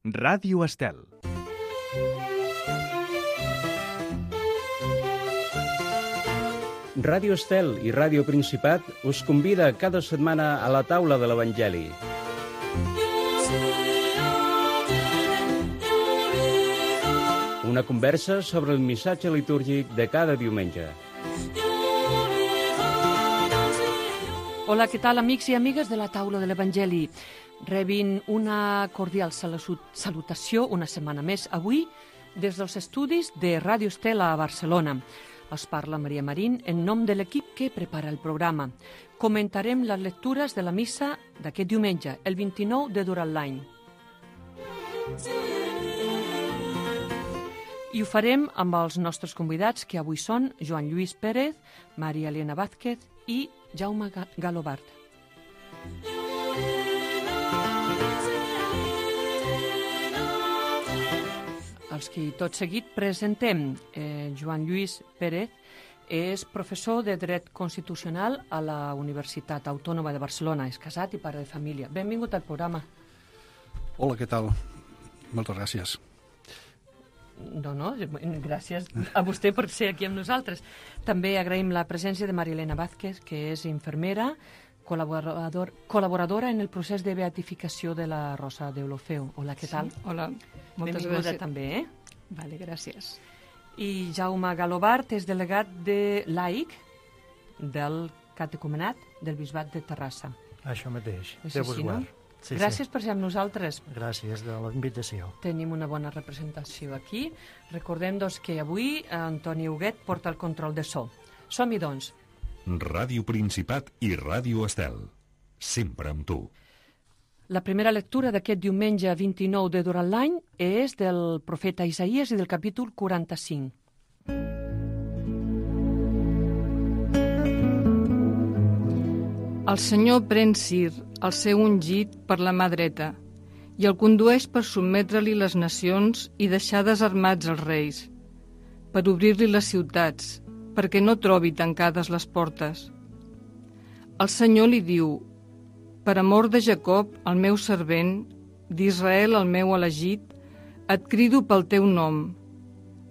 Ràdio Estel. Ràdio Estel i Ràdio Principat us convida cada setmana a la taula de l'Evangeli. Una conversa sobre el missatge litúrgic de cada diumenge. Hola, què tal, amics i amigues de la taula de l'Evangeli? Rebin una cordial salutació una setmana més avui des dels estudis de Ràdio Estel a Barcelona. Us parla Maria Marín en nom de l'equip que prepara el programa. Comentarem les lectures de la missa d'aquest diumenge, el 29 de durant l'any. I ho farem amb els nostres convidats, que avui són Joan Lluís Pérez, Maria Elena Vázquez i Jaume Galobart. Els que tot seguit presentem. Joan Lluís Pérez és professor de Dret Constitucional a la Universitat Autònoma de Barcelona. És casat i pare de família. Benvingut al programa. Hola, què tal? Moltes gràcies. No, gràcies a vostè per ser aquí amb nosaltres. També agraïm la presència de Maria Elena Vázquez, que és infermera, col·laboradora en el procés de beatificació de la Rosa Deulofeu. Hola, què tal? Hola, moltes Benvinguda gràcies. també, Vale, gràcies. I Jaume Galobart és delegat de laic del catecumenat del Bisbat de Terrassa. Això mateix, És Déu vos així, no? guard. Sí, Gràcies per ser amb nosaltres. Sí. Gràcies de la invitació. Tenim una bona representació aquí. Recordem, doncs, que avui Antoni Huguet porta el control de so. Som-hi, doncs. Ràdio Principat i Ràdio Estel. Sempre amb tu. La primera lectura d'aquest diumenge 29 de durant l'any és del profeta Isaïes i del capítol 45. El Senyor pren Cir, el seu ungit, per la mà dreta, i el condueix per sotmetre-li les nacions i deixar desarmats els reis, per obrir-li les ciutats, perquè no trobi tancades les portes. El Senyor li diu: per amor de Jacob, el meu servent, d'Israel, el meu elegit, et crido pel teu nom.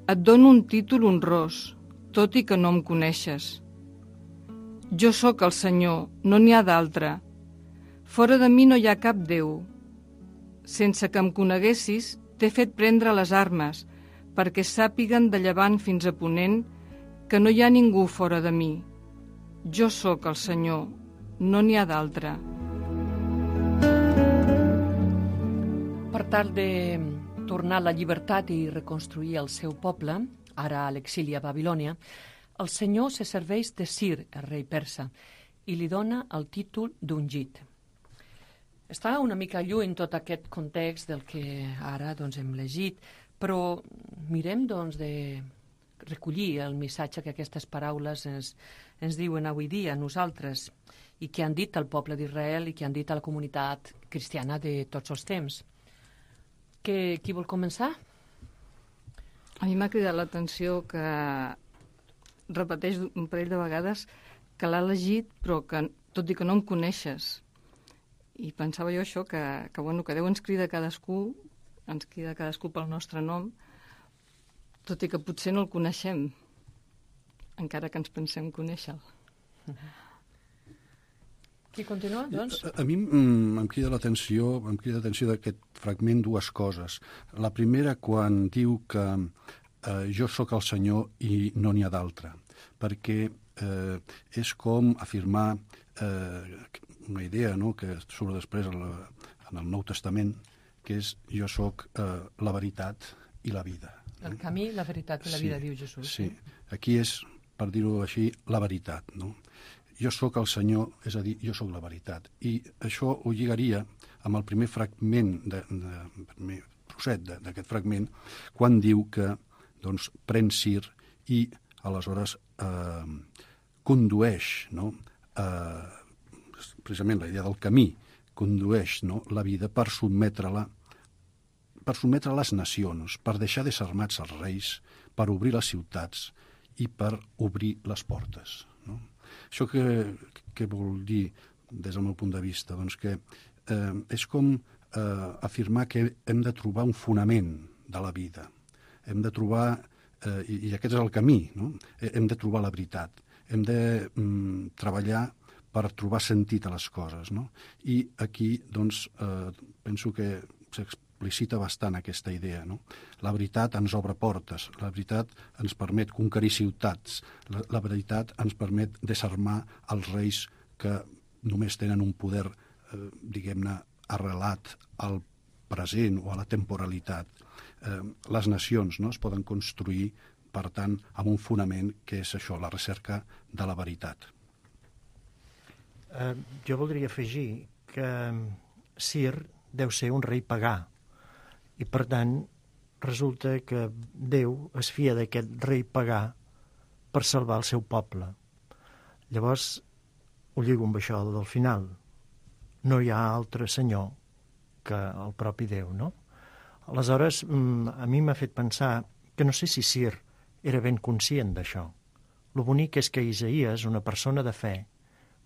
Et dono un títol honrós, tot i que no em coneixes. Jo sóc el Senyor, no n'hi ha d'altre. Fora de mi no hi ha cap Déu. Sense que em coneguessis, t'he fet prendre les armes, perquè sàpiguen de llevant fins a ponent que no hi ha ningú fora de mi. Jo sóc el Senyor, no n'hi ha d'altre. Per tal de tornar a la llibertat i reconstruir el seu poble, ara a l'exili a Babilònia, el Senyor se serveix de Cir, el rei persa, i li dona el títol d'ungit. Està una mica lluny tot aquest context del que ara doncs, hem llegit, però mirem doncs, de recollir el missatge que aquestes paraules ens diuen avui dia a nosaltres i que han dit al poble d'Israel i que han dit a la comunitat cristiana de tots els temps. Qui vol començar? A mi m'ha cridat l'atenció que repeteix un parell de vegades que l'ha elegit, però que, tot i que no em coneixes. I pensava jo això, que Déu ens crida cadascú pel nostre nom, tot i que potser no el coneixem, encara que ens pensem conèixer-lo. Qui continua, doncs? A mi em crida l'atenció d'aquest fragment dues coses. La primera, quan diu que jo sóc el Senyor i no n'hi ha d'altre, perquè és com afirmar una idea, no?, que surt després en el Nou Testament, que és jo sóc la veritat i la vida. El camí, la veritat i la vida, diu Jesús. Sí, aquí és, per dir-ho així, la veritat, no? Jo sóc el Senyor, és a dir, jo sóc la veritat. I això ho lligaria amb el primer fragment, primer trosset d'aquest fragment, quan diu que doncs, pren Cir i aleshores condueix, no? Precisament la idea del camí, condueix, no?, la vida per sotmetre les nacions, per deixar desarmats els reis, per obrir les ciutats i per obrir les portes, no? Això què vol dir des del meu punt de vista? Doncs que és com afirmar que hem de trobar un fonament de la vida. Hem de trobar, i aquest és el camí, no? Hem de trobar la veritat. Hem de treballar per trobar sentit a les coses, no? I aquí, doncs, penso que s'explicita bastant aquesta idea, no? La veritat ens obre portes, la veritat ens permet conquerir ciutats, la veritat ens permet desarmar els reis que només tenen un poder, diguem-ne, arrelat al present o a la temporalitat. Les nacions, no, es poden construir, per tant, amb un fonament que és això, la recerca de la veritat. Jo voldria afegir que Cir deu ser un rei pagà i, per tant, resulta que Déu es fia d'aquest rei pagà per salvar el seu poble. Llavors, ho lligo amb això del final. No hi ha altre senyor que el propi Déu, no? Aleshores, a mi m'ha fet pensar que no sé si Cir era ben conscient d'això. Lo bonic és que Isaïes, una persona de fe,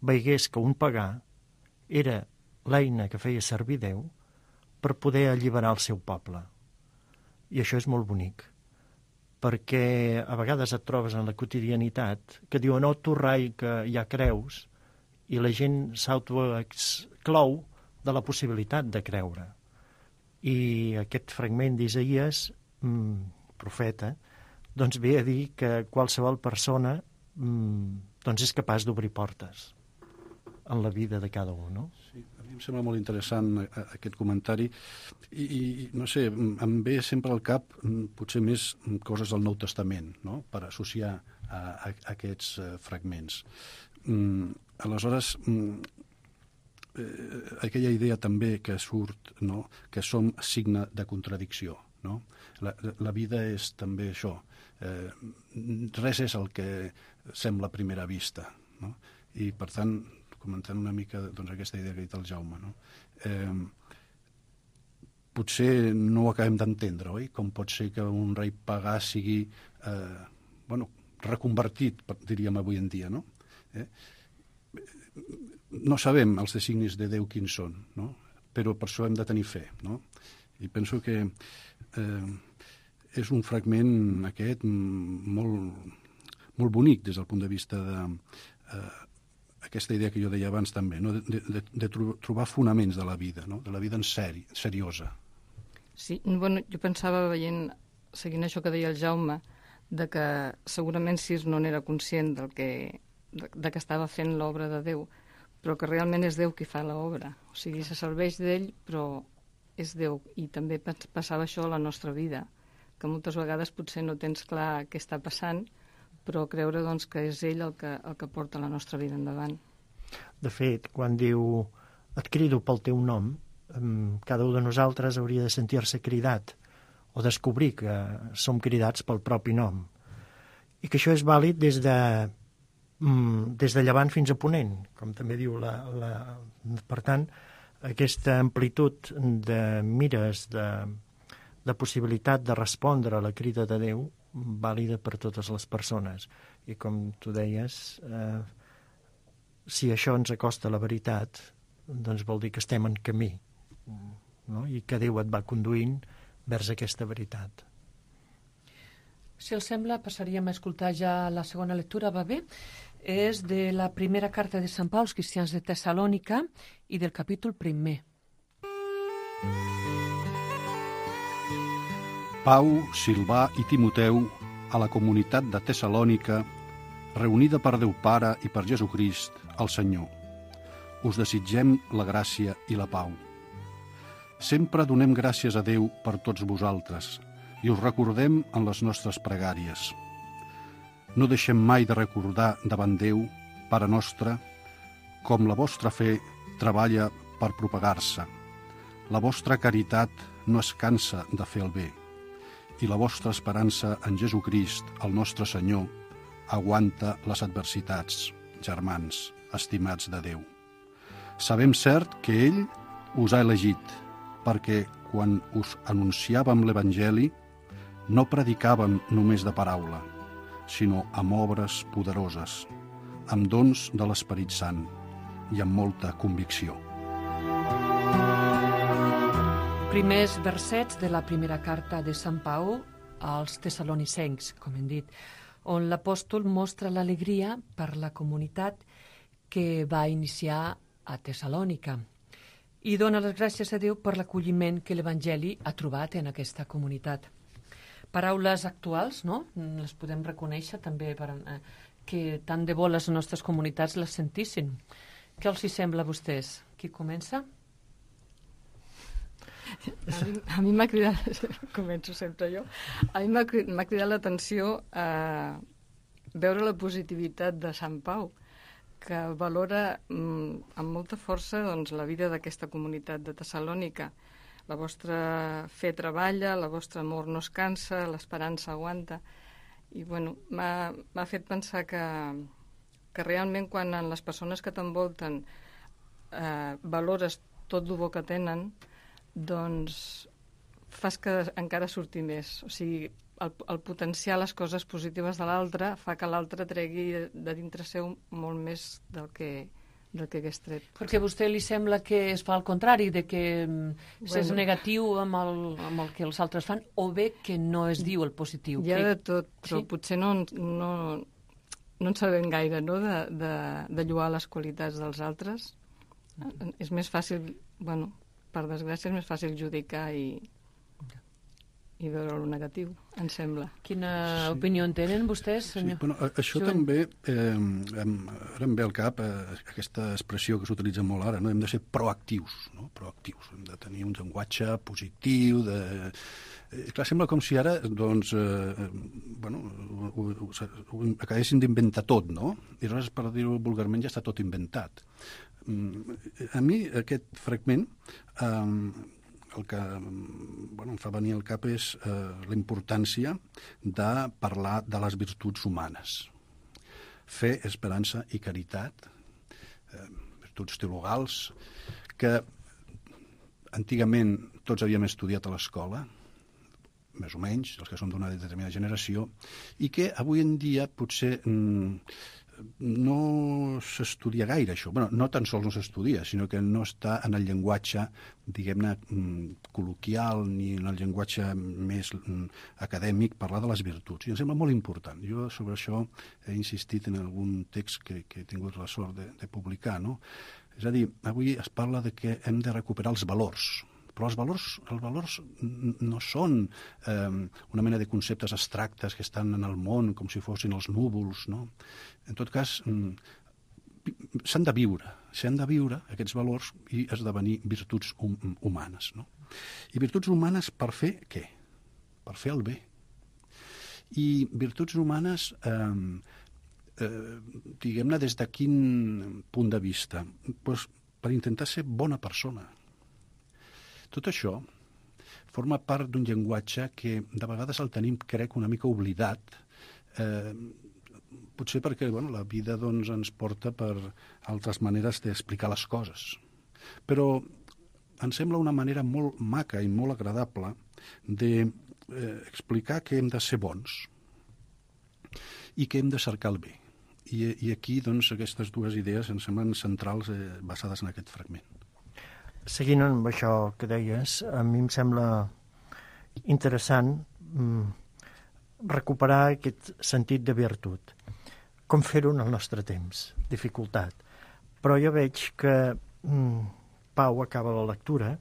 veigués que un pagà era l'eina que feia servir Déu per poder alliberar el seu poble. I això és molt bonic, perquè a vegades et trobes en la quotidianitat que diuen, oh, tu rai, que ja creus, i la gent s'autoexclou de la possibilitat de creure. I aquest fragment d'Isaïes, profeta, doncs ve a dir que qualsevol persona doncs és capaç d'obrir portes en la vida de cada un, no? Sí, a mi em sembla molt interessant aquest comentari i no sé, em ve sempre al cap potser més coses del Nou Testament, no?, per associar a aquests fragments. Aleshores, aquella idea també que surt, no?, que som signe de contradicció, no? La vida és també això. Res és el que sembla a primera vista, no? I, per tant, comentant una mica doncs, aquesta idea que ha dit el Jaume, no? Potser no ho acabem d'entendre, oi? Com pot ser que un rei pagà sigui reconvertit, diríem avui en dia, no? No sabem els designis de Déu quins són, no? Però per això hem de tenir fe, no? I penso que és un fragment aquest molt bonic des del punt de vista de aquesta idea que jo deia abans també, no? de trobar fonaments de la vida, no? De la vida en seriosa. Sí, bueno, jo pensava seguint això que deia el Jaume, de que segurament Cir no n'era conscient de que estava fent l'obra de Déu, però que realment és Déu qui fa l'obra. O sigui, se serveix d'ell, però és Déu. I també passava això a la nostra vida, que moltes vegades potser no tens clar què està passant, però creure doncs, que és ell el que porta la nostra vida endavant. De fet, quan diu et crido pel teu nom, cada un de nosaltres hauria de sentir-se cridat o descobrir que som cridats pel propi nom. I que això és vàlid des de llevant fins a ponent, com també diu per tant, aquesta amplitud de mires, de possibilitat de respondre a la crida de Déu, vàlida per totes les persones. I com tu deies, si això ens acosta a la veritat, doncs vol dir que estem en camí, no? I que Déu et va conduint vers aquesta veritat. Si els sembla, passaríem a escoltar ja la segona lectura, va bé? És de la primera carta de Sant Pau als cristians de Tessalònica i del capítol 1. Pau, Silvà i Timoteu a la comunitat de Tessalònica, reunida per Déu Pare i per Jesucrist, el Senyor. Us desitgem la gràcia i la pau. Sempre donem gràcies a Déu per tots vosaltres i us recordem en les nostres pregàries. No deixem mai de recordar davant Déu, Pare nostre, com la vostra fe treballa per propagar-se. La vostra caritat no es cansa de fer el bé i la vostra esperança en Jesucrist, el nostre Senyor, aguanta les adversitats, germans, estimats de Déu. Sabem cert que ell us ha elegit, perquè quan us anunciàvem l'Evangeli no predicàvem només de paraula, sinó amb obres poderoses, amb dons de l'Esperit Sant i amb molta convicció. Primers versets de la primera carta de Sant Pau als tessalonicencs, com hem dit, on l'apòstol mostra l'alegria per la comunitat que va iniciar a Tessalònica i dona les gràcies a Déu per l'acolliment que l'Evangeli ha trobat en aquesta comunitat. Paraules actuals, no? Les podem reconèixer també que tant de bo les nostres comunitats les sentissin. Què els hi sembla a vostès? Qui comença? A mi m'ha cridat, començo sempre jo, a mi m'ha cridat l'atenció a veure la positivitat de Sant Pau, que valora amb molta força doncs, la vida d'aquesta comunitat de Tessalònica. La vostra fe treballa, la vostra amor no es cansa, l'esperança aguanta. I bueno, m'ha fet pensar que realment quan en les persones que t'envolten valores tot el bo que tenen, doncs fas que encara surti més. O sigui, el potenciar les coses positives de l'altre fa que l'altre tregui de dintre seu molt més del que hagués tret. Perquè a vostè li sembla que es fa al contrari, de que és negatiu amb el que els altres fan, o bé que no es diu el positiu. Hi ha de tot, però potser no en sabem gaire, no?, de lloar les qualitats dels altres. És més fàcil, bueno, per desgràcia, és més fàcil judicar i veure el negatiu, em sembla. Quina opinió en tenen vostès, senyor? Sí, bueno, això també, ara em ve al cap aquesta expressió que s'utilitza molt ara, no? Hem de ser proactius, no? Proactius. Hem de tenir un llenguatge positiu, clar, sembla com si ara, doncs, ho acabessin d'inventar tot, no? I aleshores, per dir-ho vulgarment, ja està tot inventat. A mi, aquest fragment, el que em fa venir al cap és la importància de parlar de les virtuts humanes. Fe, esperança i caritat, virtuts teologals, que antigament tots havíem estudiat a l'escola, més o menys, els que som d'una determinada generació, i que avui en dia potser no s'estudia gaire això. Bueno, no tan sols no s'estudia, sinó que no està en el llenguatge, diguem-ne, col·loquial ni en el llenguatge més acadèmic parlar de les virtuts. I em sembla molt important. Jo sobre això he insistit en algun text que he tingut la sort de publicar, no? És a dir, avui es parla de que hem de recuperar els valors, però els valors no són una mena de conceptes abstractes que estan en el món com si fossin els núvols, no? En tot cas, s'han de viure aquests valors i esdevenir virtuts humanes, no? I virtuts humanes per fer què? Per fer el bé. I virtuts humanes, diguem-ne, des de quin punt de vista? Doncs per intentar ser bona persona. Tot això forma part d'un llenguatge que de vegades el tenim, crec, una mica oblidat, potser perquè la vida ens porta per altres maneres d'explicar les coses. Però em sembla una manera molt maca i molt agradable d'explicar que hem de ser bons i que hem de cercar el bé. I aquí, aquestes dues idees em semblen centrals basades en aquest fragment. Seguint amb això que deies, a mi em sembla interessant recuperar aquest sentit de virtut. Com fer-ho en el nostre temps? Dificultat. Però jo veig que Pau acaba la lectura,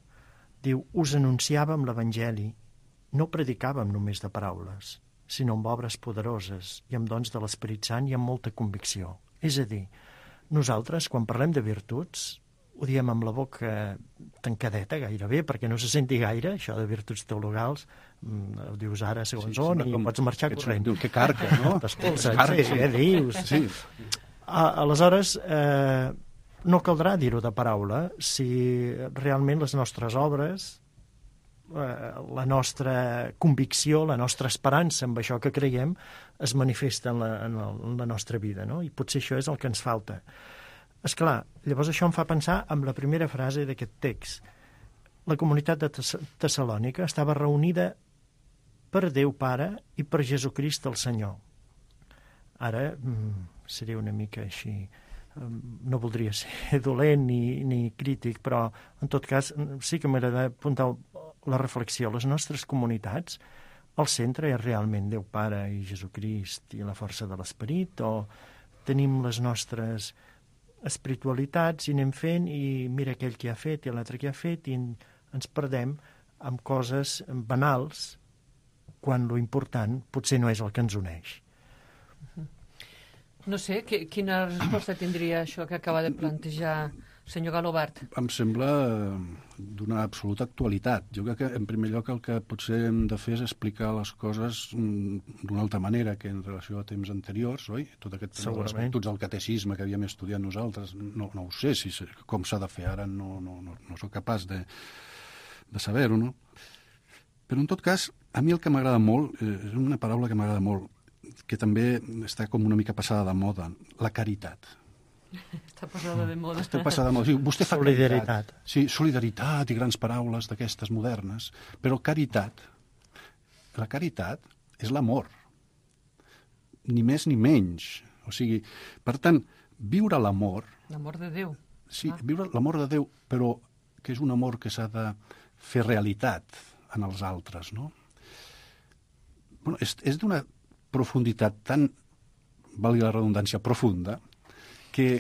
diu, us anunciàvem l'Evangeli, no predicàvem només de paraules, sinó amb obres poderoses i amb dons de l'Esperit Sant i amb molta convicció. És a dir, nosaltres, quan parlem de virtuts, ho diem amb la boca tancadeta gairebé, perquè no se senti gaire, això de virtuts teologals, ho dius ara segons on, i pots marxar corrent. Diu, que carca, no? Dius. Sí. Aleshores, no caldrà dir-ho de paraula si realment les nostres obres, la nostra convicció, la nostra esperança amb això que creiem, es manifesta en la nostra vida, no? I potser això és el que ens falta. Esclar, llavors això em fa pensar en la primera frase d'aquest text. La comunitat de Tessalònica estava reunida per Déu Pare i per Jesucrist el Senyor. Ara seria una mica així, no voldria ser dolent ni crític, però en tot cas sí que m'agrada apuntar la reflexió. Les nostres comunitats, el centre és realment Déu Pare i Jesucrist i la força de l'Esperit, o tenim les nostres espiritualitats i anem fent i mira aquell que ha fet i l'altre que ha fet i ens perdem amb coses banals quan lo important potser no és el que ens uneix. No sé, quina resposta tindria això que acaba de plantejar senyor Galobart? Em sembla d'una absoluta actualitat. Jo crec que, en primer lloc, el que potser hem de fer és explicar les coses d'una altra manera que en relació a temps anteriors, oi? Tot aquest tema de les virtuts del catecisme que havíem estudiat nosaltres, no ho sé com s'ha de fer ara, no soc capaç de saber-ho, no? Però, en tot cas, a mi el que m'agrada molt, és una paraula que m'agrada molt, que també està com una mica passada de moda, la caritat. Està passada de moda. Està passada de moda. Vostè fa solidaritat. Sí, solidaritat i grans paraules d'aquestes modernes, però caritat, la caritat és l'amor, ni més ni menys. O sigui, per tant, viure l'amor... L'amor de Déu. Sí, viure l'amor de Déu, però que és un amor que s'ha de fer realitat en els altres, no? Bueno, és d'una profunditat tan, valgui la redundància, profunda, que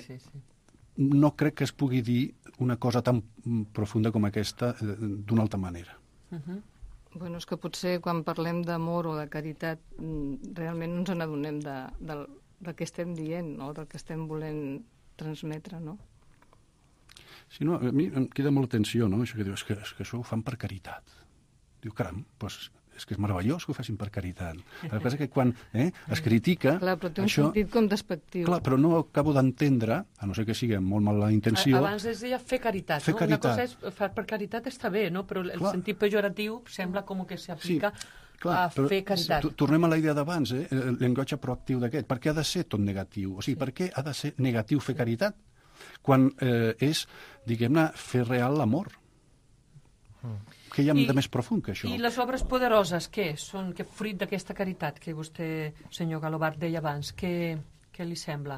no crec que es pugui dir una cosa tan profunda com aquesta d'una altra manera. Bueno, és que potser quan parlem d'amor o de caritat realment no ens n'adonem del que estem dient, no? Del que estem volent transmetre, no? Sí, no, a mi em queda molt atenció, no? Això que diu, és que això ho fan per caritat. Diu, caram, doncs és que és meravellós que ho facin per caritat. El que passa és que quan es critica... Clar, però té un sentit com despectiu. Clar, però no acabo d'entendre, a no ser que sigui amb molt mala intenció... Abans es deia fer caritat, no? Una cosa és fer per caritat està bé, no? Però el sentit pejoratiu sembla com que s'aplica a fer caritat. Tornem a la idea d'abans, el llenguatge proactiu d'aquest. Per què ha de ser tot negatiu? O sigui, per què ha de ser negatiu fer caritat? Quan és, diguem-ne, fer real l'amor. Què hi ha de més profund que això? I les obres poderoses, què són? Que fruit d'aquesta caritat que vostè, senyor Galobart, deia abans, què li sembla?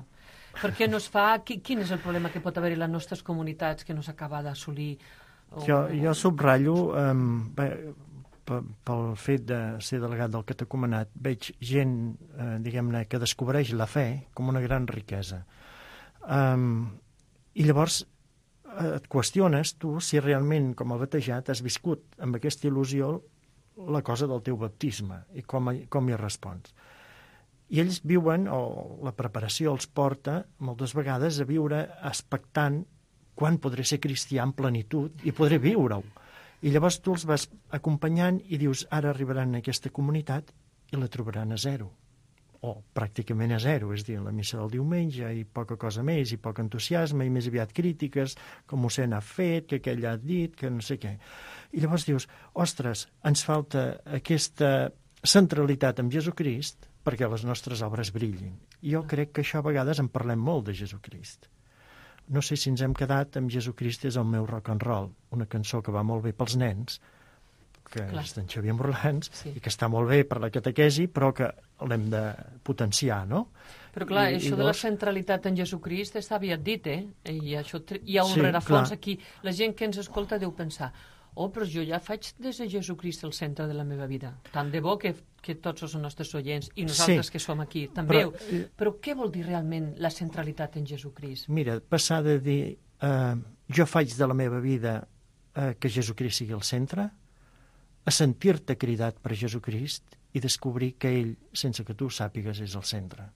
Per què no es fa? Quin és el problema que pot haver-hi en les nostres comunitats que no s'acaba d'assolir? Jo subratllo, pel fet de ser delegat del catecumenat, veig gent, diguem-ne, que descobreix la fe com una gran riquesa. I llavors et qüestiones tu si realment, com a batejat, has viscut amb aquesta il·lusió la cosa del teu baptisme i com hi respons. I ells viuen, o la preparació els porta moltes vegades a viure expectant quan podré ser cristià en plenitud i podré viure-ho. I llavors tu els vas acompanyant i dius, ara arribaran a aquesta comunitat i la trobaran a zero, o pràcticament a zero, és a dir, la missa del diumenge i poca cosa més, i poc entusiasme, i més aviat crítiques, com mossèn ha fet, que aquell ha dit, que no sé què. I llavors dius, ostres, ens falta aquesta centralitat amb Jesucrist perquè les nostres obres brillin. Jo crec que això a vegades en parlem molt de Jesucrist. No sé si ens hem quedat amb Jesucrist és el meu rock and roll, una cançó que va molt bé pels nens, que és d'en Xavier Morlans, i que està molt bé per la catequesi, però que l'hem de potenciar, no? Però clar, això de la centralitat en Jesucrist està aviat dit, I això hi ha un rerefons aquí. La gent que ens escolta deu pensar, però jo ja faig des de Jesucrist el centre de la meva vida. Tant de bo que tots els nostres oients i nosaltres que som aquí també. Però què vol dir realment la centralitat en Jesucrist? Mira, passar de dir jo faig de la meva vida que Jesucrist sigui el centre, a sentir-te cridat per Jesucrist i descobrir que ell, sense que tu ho sàpigues, és el centre.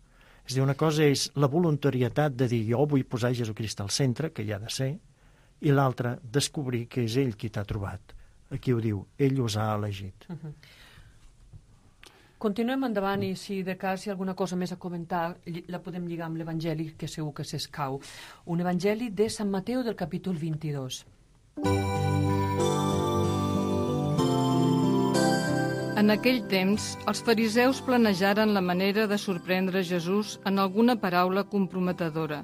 És a dir, una cosa és la voluntarietat de dir jo vull posar Jesucrist al centre, que hi ha de ser, i l'altra, descobrir que és ell qui t'ha trobat. Aquí ho diu, ell us ha elegit. Continuem endavant i si de cas hi ha alguna cosa més a comentar la podem lligar amb l'Evangeli, que segur que s'escau. Un Evangeli de Sant Mateu del capítol 22. En aquell temps, els fariseus planejaren la manera de sorprendre Jesús en alguna paraula comprometedora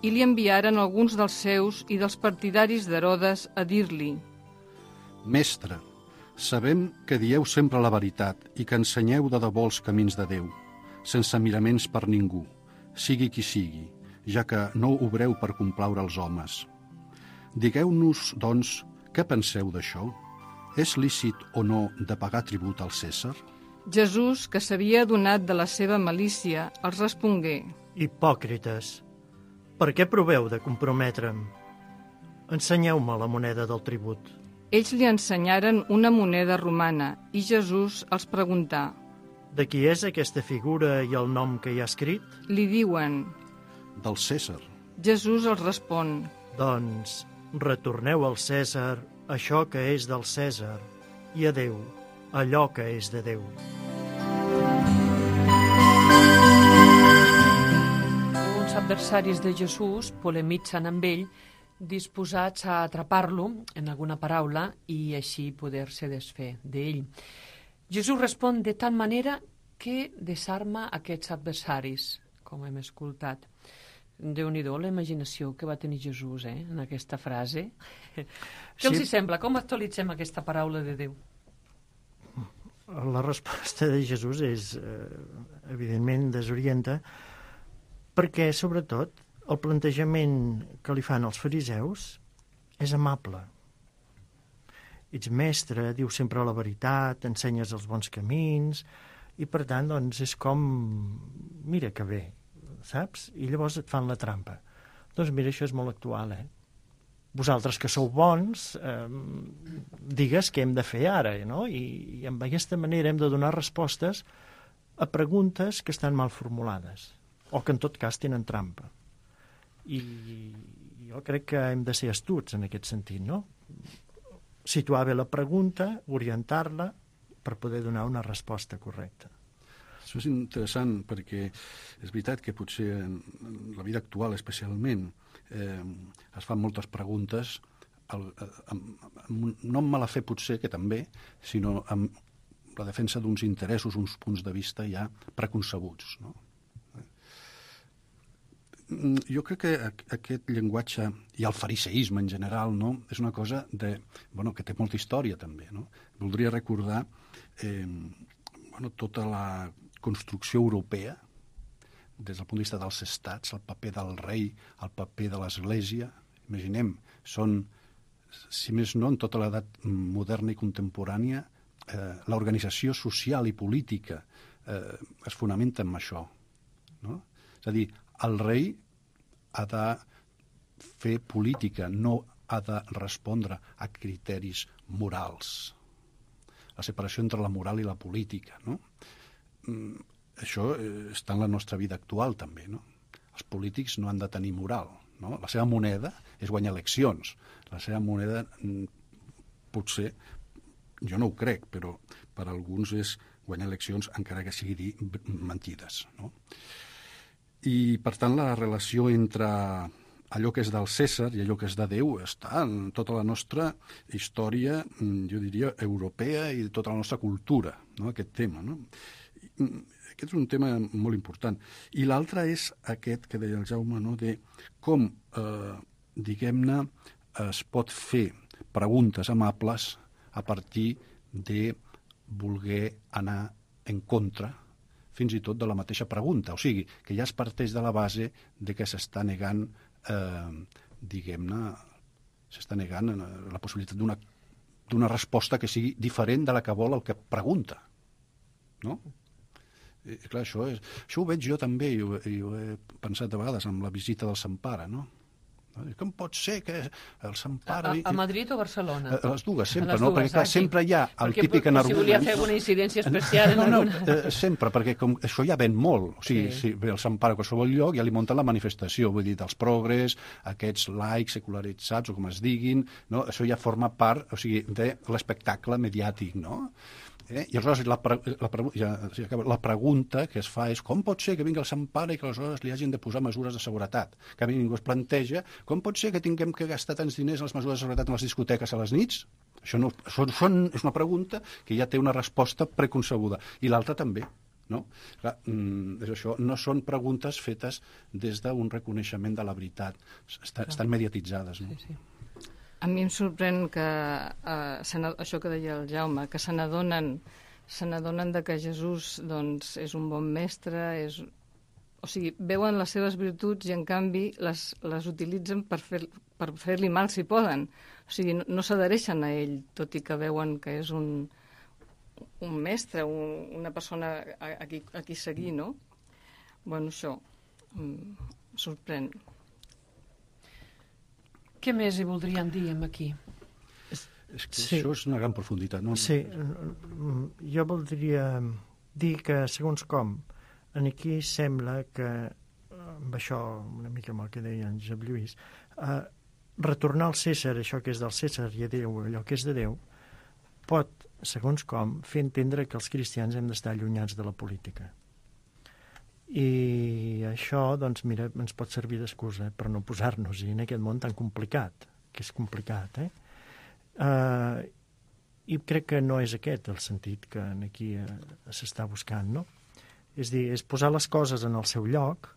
i li enviaren alguns dels seus i dels partidaris d'Herodes a dir-li: Mestre, sabem que dieu sempre la veritat i que ensenyeu de debò els camins de Déu, sense miraments per ningú, sigui qui sigui, ja que no obreu per complaure els homes. Digueu-nos, doncs, què penseu d'això? és lícit o no de pagar tribut al Cèsar? Jesús, que s'havia adonat de la seva malícia, els respongué: Hipòcrites, per què proveu de comprometre'm? Ensenyeu-me la moneda del tribut. Ells li ensenyaren una moneda romana i Jesús els preguntà: De qui és aquesta figura i el nom que hi ha escrit? Li diuen. Del Cèsar. Jesús els respon: Doncs retorneu al Cèsar això que és del Cèsar i a Déu allò que és de Déu. Uns adversaris de Jesús polemitzen amb ell, disposats a atrapar-lo en alguna paraula i així poder-se desfer d'ell. Jesús respon de tal manera que desarma aquests adversaris, com hem escoltat. Déu-n'hi-do la imaginació que va tenir Jesús en aquesta frase. Què els hi sembla? Com actualitzem aquesta paraula de Déu? La resposta de Jesús és, evidentment, desorienta, perquè, sobretot, el plantejament que li fan els fariseus és amable. Ets mestre, dius sempre la veritat, ensenyes els bons camins, i per tant, doncs, és com, mira que bé, saps? I llavors et fan la trampa. Doncs mira, això és molt actual, Vosaltres que sou bons, digues què hem de fer ara, no? I amb aquesta manera hem de donar respostes a preguntes que estan mal formulades, o que en tot cas tenen trampa. I jo crec que hem de ser astuts en aquest sentit, no? Situar bé la pregunta, orientar-la per poder donar una resposta correcta. Això és interessant perquè és veritat que potser en la vida actual especialment es fan moltes preguntes no amb mala fe potser, que també, sinó amb la defensa d'uns interessos, uns punts de vista ja preconcebuts, no? Jo crec que aquest llenguatge i el fariseisme en general, no, és una cosa que té molta història també, no? Voldria recordar tota la construcció europea des del punt de vista dels estats, el paper del rei, el paper de l'Església. Imaginem, són, si més no, en tota l'edat moderna i contemporània, l'organització social i política es fonamenta en això, no? És a dir, el rei ha de fer política, no ha de respondre a criteris morals. La separació entre la moral i la política, no? Això està en la nostra vida actual també, no? Els polítics no han de tenir moral, no? La seva moneda és guanyar eleccions. La seva moneda, potser, jo no ho crec, però per alguns és guanyar eleccions encara que sigui dir mentides, no? I, per tant, la relació entre allò que és del Cèsar i allò que és de Déu està en tota la nostra història, jo diria, europea i tota la nostra cultura, no? Aquest tema, no? Aquest és un tema molt important. I l'altre és aquest que deia el Jaume, no? De com, diguem-ne, es pot fer preguntes amables a partir de voler anar en contra fins i tot de la mateixa pregunta. O sigui, que ja es parteix de la base de que s'està negant, diguem-ne, s'està negant la possibilitat d'una resposta que sigui diferent de la que vol el que pregunta, no? I, clar, això ho veig jo també, i ho he pensat a vegades amb la visita del Sant Pare, no? Com pot ser que el Sant Pare... A Madrid o Barcelona? A les dues, sempre, no? Perquè, clar, sempre hi ha el típic energument... Si volia fer una incidència especial... No, sempre, perquè com això ja ven molt. O sigui, si ve el Sant Pare a qualsevol lloc, ja li munten la manifestació, vull dir, dels progres, aquests laics secularitzats, o com es diguin, no? Això ja forma part, o sigui, de l'espectacle mediàtic, no? I aleshores la pregunta que es fa és com pot ser que vingui el Sant Pare i que aleshores li hagin de posar mesures de seguretat? Que a mi ningú es planteja com pot ser que tinguem que gastar tants diners en les mesures de seguretat en les discoteques a les nits? Això és una pregunta que ja té una resposta preconcebuda. I l'altra també, no? Clar, és això, no són preguntes fetes des d'un reconeixement de la veritat. Estan mediatitzades, no? Sí. A mi em sorprèn que això que deia el Jaume, que se n'adonen de que Jesús doncs, és un bon mestre, O sigui, veuen les seves virtuts i, en canvi, les utilitzen per fer-li mal si poden. O sigui, no s'adhereixen a ell, tot i que veuen que és un mestre, una persona a qui seguir, no? Bueno, això sorprèn. Què més hi voldrien dir aquí? És que això és una gran profunditat, no? Sí, jo voldria dir que, segons com, aquí sembla que, amb això, una mica amb el que deia en Josep Lluís, retornar al Cèsar això que és del Cèsar i a Déu allò que és de Déu, pot, segons com, fer entendre que els cristians hem d'estar allunyats de la política. I això, doncs, mira, ens pot servir d'excusa per no posar-nos-hi en aquest món tan complicat, que és complicat, i crec que no és aquest el sentit que aquí s'està buscant, no? És dir, és posar les coses en el seu lloc,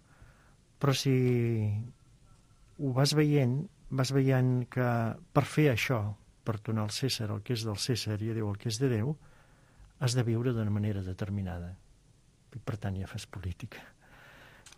però si ho vas veient que per fer això, per donar al Cèsar el que és del Cèsar i a Déu el que és de Déu, has de viure d'una manera determinada. I per tant ja fas política.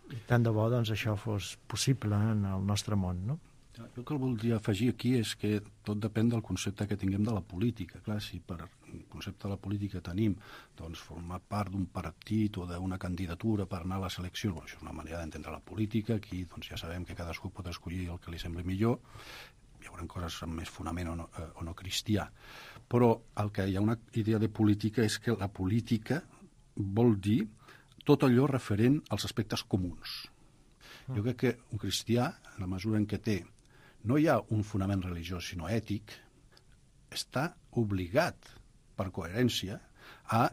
I tant de bo doncs això fos possible en el nostre món, no? Jo el que voldria afegir aquí és que tot depèn del concepte que tinguem de la política. Clar, si per el concepte de la política tenim doncs, formar part d'un partit o d'una candidatura per anar a les eleccions, això és una manera d'entendre la política. Aquí doncs, ja sabem que cadascú pot escollir el que li sembli millor. Hi haurà coses amb més fonament o no cristià. Però el que hi ha una idea de política és que la política vol dir tot allò referent als aspectes comuns. Jo crec que un cristià, en la mesura en què té no hi ha un fonament religiós, sinó ètic, està obligat, per coherència, a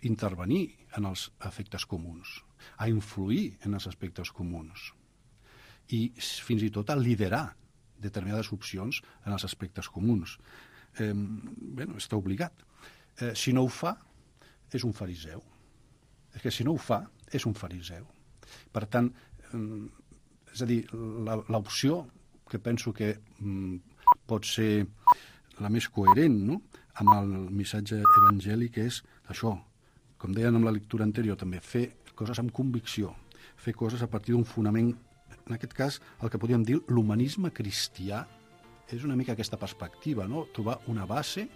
intervenir en els efectes comuns, a influir en els aspectes comuns i fins i tot a liderar determinades opcions en els aspectes comuns. Està obligat. Si no ho fa, és un fariseu. És que si no ho fa, és un fariseu. Per tant, és a dir, l'opció que penso que pot ser la més coherent, no?, amb el missatge evangèlic és això, com deien amb la lectura anterior també, fer coses amb convicció, fer coses a partir d'un fonament, en aquest cas el que podríem dir l'humanisme cristià, és una mica aquesta perspectiva, no?, trobar una base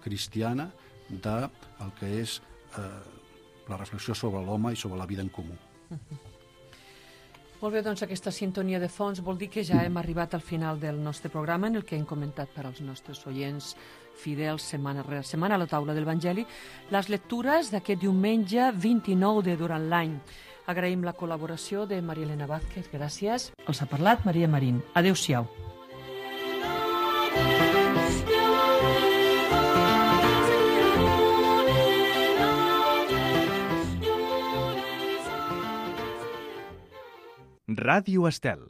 cristiana del que és la reflexió sobre l'home i sobre la vida en comú. Molt bé, doncs aquesta sintonia de fons vol dir que ja hem arribat al final del nostre programa en el que hem comentat per als nostres oients fidels setmana rere setmana a la taula de l'Evangeli les lectures d'aquest diumenge 29 de durant l'any. Agraïm la col·laboració de Maria Elena Vázquez, gràcies. Els ha parlat Maria Marín. Adéu-siau. Ràdio Estel.